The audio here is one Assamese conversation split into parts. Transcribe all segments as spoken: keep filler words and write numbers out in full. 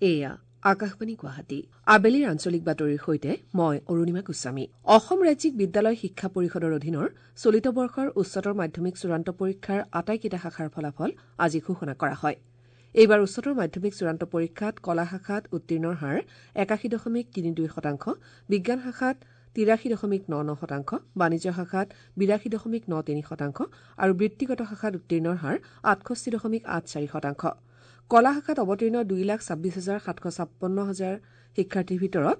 এয়া আকাশবাণী গুৱাহাটী। আবেলিৰ আঞ্চলিক বাতৰিৰ সৈতে মই অৰুণিমা গোস্বামী। অসম ৰাজ্যিক বিদ্যালয় শিক্ষা পৰিষদৰ অধীনৰ চলিত বৰ্ষৰ উচ্চতৰ মাধ্যমিক চূড়ান্ত পৰীক্ষাৰ আটাইকেইটা শাখাৰ ফলাফল আজি ঘোষণা কৰা হয়। এইবাৰ উচ্চতৰ মাধ্যমিক চূড়ান্ত পৰীক্ষাত কলা শাখাত উত্তীৰ্ণৰ হাৰ একাশী দশমিক তিনি দুই শতাংশ, বিজ্ঞান শাখাত তিৰাশী দশমিক ন ন শতাংশ, বাণিজ্য শাখাত বিৰাশী দশমিক ন তিনি শতাংশ আৰু বৃত্তিগত শাখাত উত্তীৰ্ণৰ হাৰ আঠষষ্ঠি দশমিক আঠ চাৰি শতাংশ। কলা শাখাত অৱতীৰ্ণ দুই লাখ ছাব্বিছ হাজাৰ সাতশ ছাপন্ন হাজাৰ শিক্ষাৰ্থীৰ ভিতৰত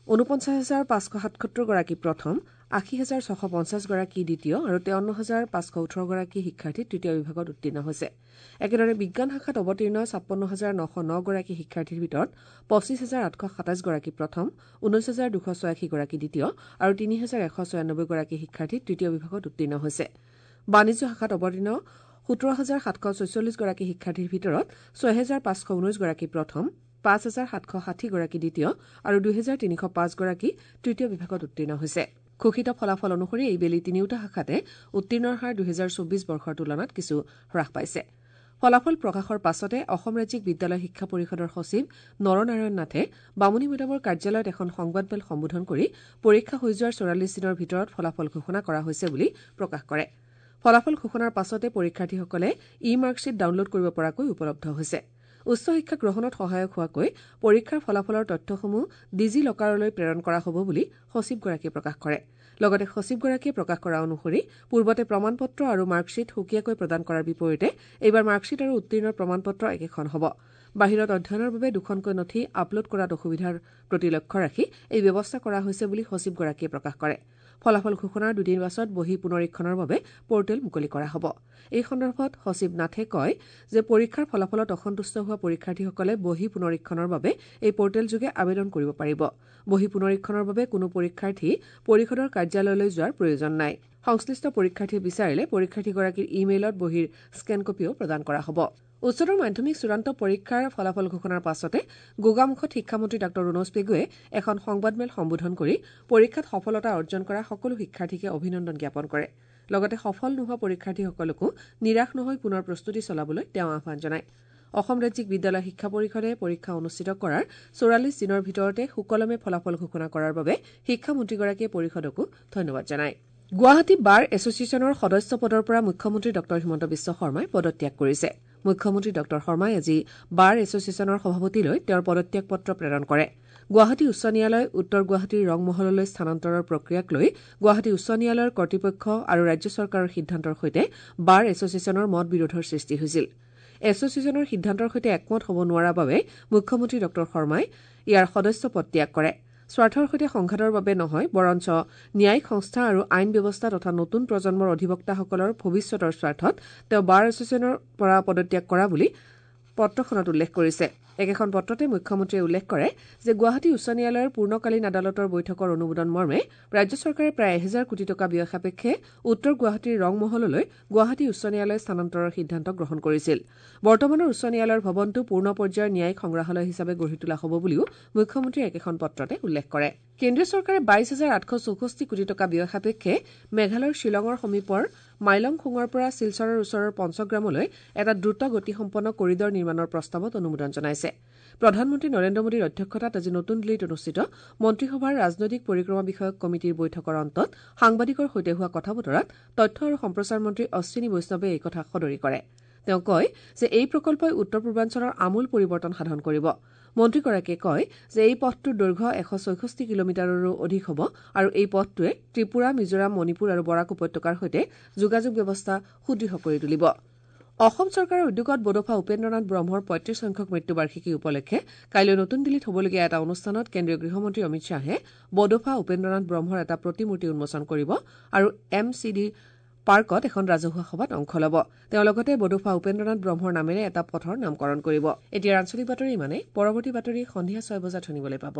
ঊনপঞ্চাছ হাজাৰ পাঁচশ সাতসত্তৰগৰাকী প্ৰথম, আশী হাজাৰ ছশ পঞ্চাছগৰাকী দ্বিতীয় আৰু তেৱন্ন হাজাৰ পাঁচশ ওঠৰগৰাকী শিক্ষাৰ্থী তৃতীয় বিভাগত উত্তীৰ্ণ হৈছে। একেদৰে বিজ্ঞান শাখাত অৱতীৰ্ণ ছাপন্ন হাজাৰ নশ নগৰাকী শিক্ষাৰ্থীৰ ভিতৰত পঁচিছ হাজাৰ আঠশ সাতাইছগৰাকী প্ৰথম, ঊনৈছ হাজাৰ দুশ ছয়াশীগৰাকী দ্বিতীয় আৰু তিনি হাজাৰ এশ ছয়ানব্বৈগৰাকী শিক্ষাৰ্থী তৃতীয় বিভাগত উত্তীৰ্ণ হৈছে। বাণিজ্য শাখাত অৱতীৰ্ণ সোতৰ হাজাৰ সাতশ ছয়চল্লিছগৰাকী শিক্ষাৰ্থীৰ ভিতৰত ছহেজাৰ পাঁচশ ঊনৈছগৰাকী প্ৰথম, পাঁচ হাজাৰ সাতশ ষাঠিগৰাকী দ্বিতীয় আৰু দুহেজাৰ তিনিশ পাঁচগৰাকী তৃতীয় বিভাগত উত্তীৰ্ণ হৈছে। ঘোষিত ফলাফল অনুসৰি এইবেলি তিনিওটা শাখাতে উত্তীৰ্ণৰ হাৰ দুহেজাৰ চৌবিছ বৰ্ষৰ তুলনাত কিছু হ্ৰাস পাইছে। ফলাফল প্ৰকাশৰ পাছতে অসম ৰাজ্যিক বিদ্যালয় শিক্ষা পৰিষদৰ সচিব নৰনাৰায়ণ নাথে বামুণীমৈদামৰ কাৰ্যালয়ত এখন সংবাদমেল সম্বোধন কৰি পৰীক্ষা হৈ যোৱাৰ চৌৰাল্লিছ দিনৰ ভিতৰত ফলাফল ঘোষণা কৰা হৈছে বুলি প্ৰকাশ কৰে। ফলাফল ঘোষণাৰ পাছতে পৰীক্ষাৰ্থীসকলে ই মাৰ্কশ্বীট ডাউনলোড কৰিব পৰাকৈ উপলব্ধ হৈছে। উচ্চ শিক্ষা গ্ৰহণত সহায়ক হোৱাকৈ পৰীক্ষাৰ ফলাফলৰ তথ্যসমূহ ডিজি লকাৰলৈ প্ৰেৰণ কৰা হ'ব বুলি সচিবগৰাকীয়ে প্ৰকাশ কৰে। লগতে সচিবগৰাকীয়ে প্ৰকাশ কৰা অনুসৰি পূৰ্বতে প্ৰমাণপত্ৰ আৰু মাৰ্কশ্বীট সুকীয়াকৈ প্ৰদান কৰাৰ বিপৰীতে এইবাৰ মাৰ্কশ্বীট আৰু উত্তীৰ্ণৰ প্ৰমাণপত্ৰ একেখন হ'ব। বাহিৰত অধ্যয়নৰ বাবে দুখনকৈ নথি আপলোড কৰাত অসুবিধাৰ প্ৰতি লক্ষ্য ৰাখি এই ব্যৱস্থা কৰা হৈছে বুলি সচিবগৰাকীয়ে প্ৰকাশ কৰে। ফলাফল ঘোষণাৰ দুদিন পাছত বহী পুনৰীক্ষণৰ বাবে পৰ্টেল মুকলি কৰা হ'ব। এই সন্দৰ্ভত সচিব নাথে কয় যে পৰীক্ষাৰ ফলাফলত অসন্তুষ্ট হোৱা পৰীক্ষাৰ্থীসকলে বহী পুনৰীক্ষণৰ বাবে এই পৰ্টেলযোগে আবেদন কৰিব পাৰিব। বহী পুনৰীক্ষণৰ বাবে কোনো পৰীক্ষাৰ্থী পৰিষদৰ কাৰ্যালয়লৈ যোৱাৰ প্ৰয়োজন নাই। সংশ্লিষ্ট পৰীক্ষাৰ্থীয়ে বিচাৰিলে পৰীক্ষাৰ্থীগৰাকীৰ ই-মেইলত বহীৰ স্কেন কপিও প্ৰদান কৰা হ'ব। উচ্চতৰ মাধ্যমিক চূড়ান্ত পৰীক্ষাৰ ফলাফল ঘোষণাৰ পাছতে গোগামুখত শিক্ষামন্ত্ৰী ডাঃ ৰণোজ পেগুৱে এখন সংবাদমেল সম্বোধন কৰি পৰীক্ষাত সফলতা অৰ্জন কৰা সকলো শিক্ষাৰ্থীকে অভিনন্দন জ্ঞাপন কৰে। লগতে সফল নোহোৱা পৰীক্ষাৰ্থীসকলকো নিৰাশ নহৈ পুনৰ প্ৰস্তুতি চলাবলৈ তেওঁ আহ্বান জনায়। অসম ৰাজ্যিক বিদ্যালয় শিক্ষা পৰিষদে পৰীক্ষা অনুষ্ঠিত কৰাৰ চৌৰাল্লিছ দিনৰ ভিতৰতে সুকলমে ফলাফল ঘোষণা কৰাৰ বাবে শিক্ষামন্ত্ৰীগৰাকীয়ে পৰিষদকো ধন্যবাদ জনায়। গুৱাহাটী বাৰ এছ'চিয়েশ্যনৰ সদস্য পদৰ পৰা মুখ্যমন্ত্ৰী ডাঃ হিমন্ত বিশ্ব শৰ্মাই পদত্যাগ কৰিছে। মুখ্যমন্ত্ৰী ডাঃ শৰ্মাই আজি বাৰ এছ'চিয়েশ্যনৰ সভাপতিলৈ তেওঁৰ পদত্যাগ পত্ৰ প্ৰেৰণ কৰে। গুৱাহাটী উচ্চ ন্যায়ালয় উত্তৰ গুৱাহাটীৰ ৰংমহললৈ স্থানান্তৰৰ প্ৰক্ৰিয়াক লৈ গুৱাহাটী উচ্চ ন্যায়ালয়ৰ কৰ্তৃপক্ষ আৰু ৰাজ্য চৰকাৰৰ সিদ্ধান্তৰ সৈতে বাৰ এছ'চিয়েশ্যনৰ মত বিৰোধৰ সৃষ্টি হৈছিল। এছ'চিয়েশ্যনৰ সিদ্ধান্তৰ সৈতে একমত হ'ব নোৱাৰাৰ বাবে মুখ্যমন্ত্ৰী ডাঃ শৰ্মাই ইয়াৰ সদস্য পদ ত্যাগ কৰে। স্বাৰ্থৰ সৈতে সংঘাতৰ বাবে নহয়, বৰঞ্চ ন্যায়িক সংস্থা আৰু আইন ব্যৱস্থা তথা নতুন প্ৰজন্মৰ অধিবক্তাসকলৰ ভৱিষ্যতৰ স্বাৰ্থত তেওঁ বাৰ এছ'চিয়েশ্যনৰ পৰা পদত্যাগ কৰা বুলি পত্ৰখনত উল্লেখ কৰিছে। একেখন পত্ৰতে মুখ্যমন্ত্ৰীয়ে উল্লেখ কৰে যে গুৱাহাটী উচ্চ ন্যায়ালয়ৰ পূৰ্ণকালীন আদালতৰ বৈঠকৰ অনুমোদন মৰ্মে ৰাজ্য চৰকাৰে প্ৰায় এহেজাৰ কোটি টকা ব্যয় সাপেক্ষে উত্তৰ গুৱাহাটীৰ ৰংমহললৈ গুৱাহাটী উচ্চ ন্যায়ালয় স্থানান্তৰৰ সিদ্ধান্ত গ্ৰহণ কৰিছিল। বৰ্তমানৰ উচ্চ ন্যায়ালয়ৰ ভৱনটো পূৰ্ণ পৰ্যায়ৰ ন্যায়িক সংগ্ৰহালয় হিচাপে গঢ়ি তোলা হ'ব বুলিও মুখ্যমন্ত্ৰীয়ে একেখন পত্ৰতে উল্লেখ কৰে। কেন্দ্ৰীয় চৰকাৰে বাইছ হাজাৰ আঠশ চৌষষ্ঠি কোটি টকা ব্যয় সাপেক্ষে মেঘালয়ৰ শ্বিলঙৰ সমীপৰ মাইলংখুঙৰ পৰা শিলচৰৰ ওচৰৰ পঞ্চগ্ৰামলৈ এটা দ্ৰুত গতিসম্পন্ন কৰিডৰ নিৰ্মাণৰ প্ৰস্তাৱত অনুমোদন জনাইছে। প্ৰধানমন্ত্ৰী নৰেন্দ্ৰ মোদীৰ অধ্যক্ষতাত আজি নতুন দিল্লীত অনুষ্ঠিত মন্ত্ৰীসভাৰ ৰাজনৈতিক পৰিক্ৰমা বিষয়ক কমিটিৰ বৈঠকৰ অন্তত সাংবাদিকৰ সৈতে হোৱা কথা বতৰাত তথ্য আৰু সম্প্ৰচাৰ মন্ত্ৰী অশ্বিনী বৈষ্ণৱে এই কথা সদৰি কৰে। তেওঁ কয় যে এই প্ৰকল্পই উত্তৰ পূৰ্বাঞ্চলৰ আমূল পৰিৱৰ্তন সাধন কৰিব। মন্ত্ৰীগৰাকীয়ে কয় যে এই পথটোৰ দৈৰ্ঘ্য এশ ছয়ষষ্ঠি কিলোমিটাৰৰো অধিক হ'ব আৰু এই পথটোৱে ত্ৰিপুৰা, মিজোৰাম, মণিপুৰ আৰু বৰাক উপত্যকাৰ সৈতে যোগাযোগ ব্যৱস্থা সুদৃঢ় কৰি তুলিব। অসম চৰকাৰৰ উদ্যোগত বডোফা উপেন্দ্ৰনাথ ব্ৰহ্মৰ পঁয়ত্ৰিশ সংখ্যক মৃত্যুবাৰ্ষিকী উপলক্ষে কাইলৈ নতুন দিল্লীত হ'বলগীয়া এটা অনুষ্ঠানত কেন্দ্ৰীয় গৃহমন্ত্ৰী অমিত শ্বাহে বডোফা উপেন্দ্ৰনাথ ব্ৰহ্মৰ এটা প্ৰতিমূৰ্তি উন্মোচন কৰিব আৰু এম চি ডি পাৰ্কত এখন ৰাজহুৱা সভাত অংশ ল'ব। তেওঁ লগতে বডোফা উপেন্দ্ৰনাথ ব্ৰহ্মৰ নামেৰে এটা পথৰ নামকৰণ কৰিব। এতিয়াৰ আঞ্চলিক বাতৰি ইমানেই। পৰৱৰ্তী বাতৰি সন্ধিয়া ছয় বজাত শুনিবলৈ পাব।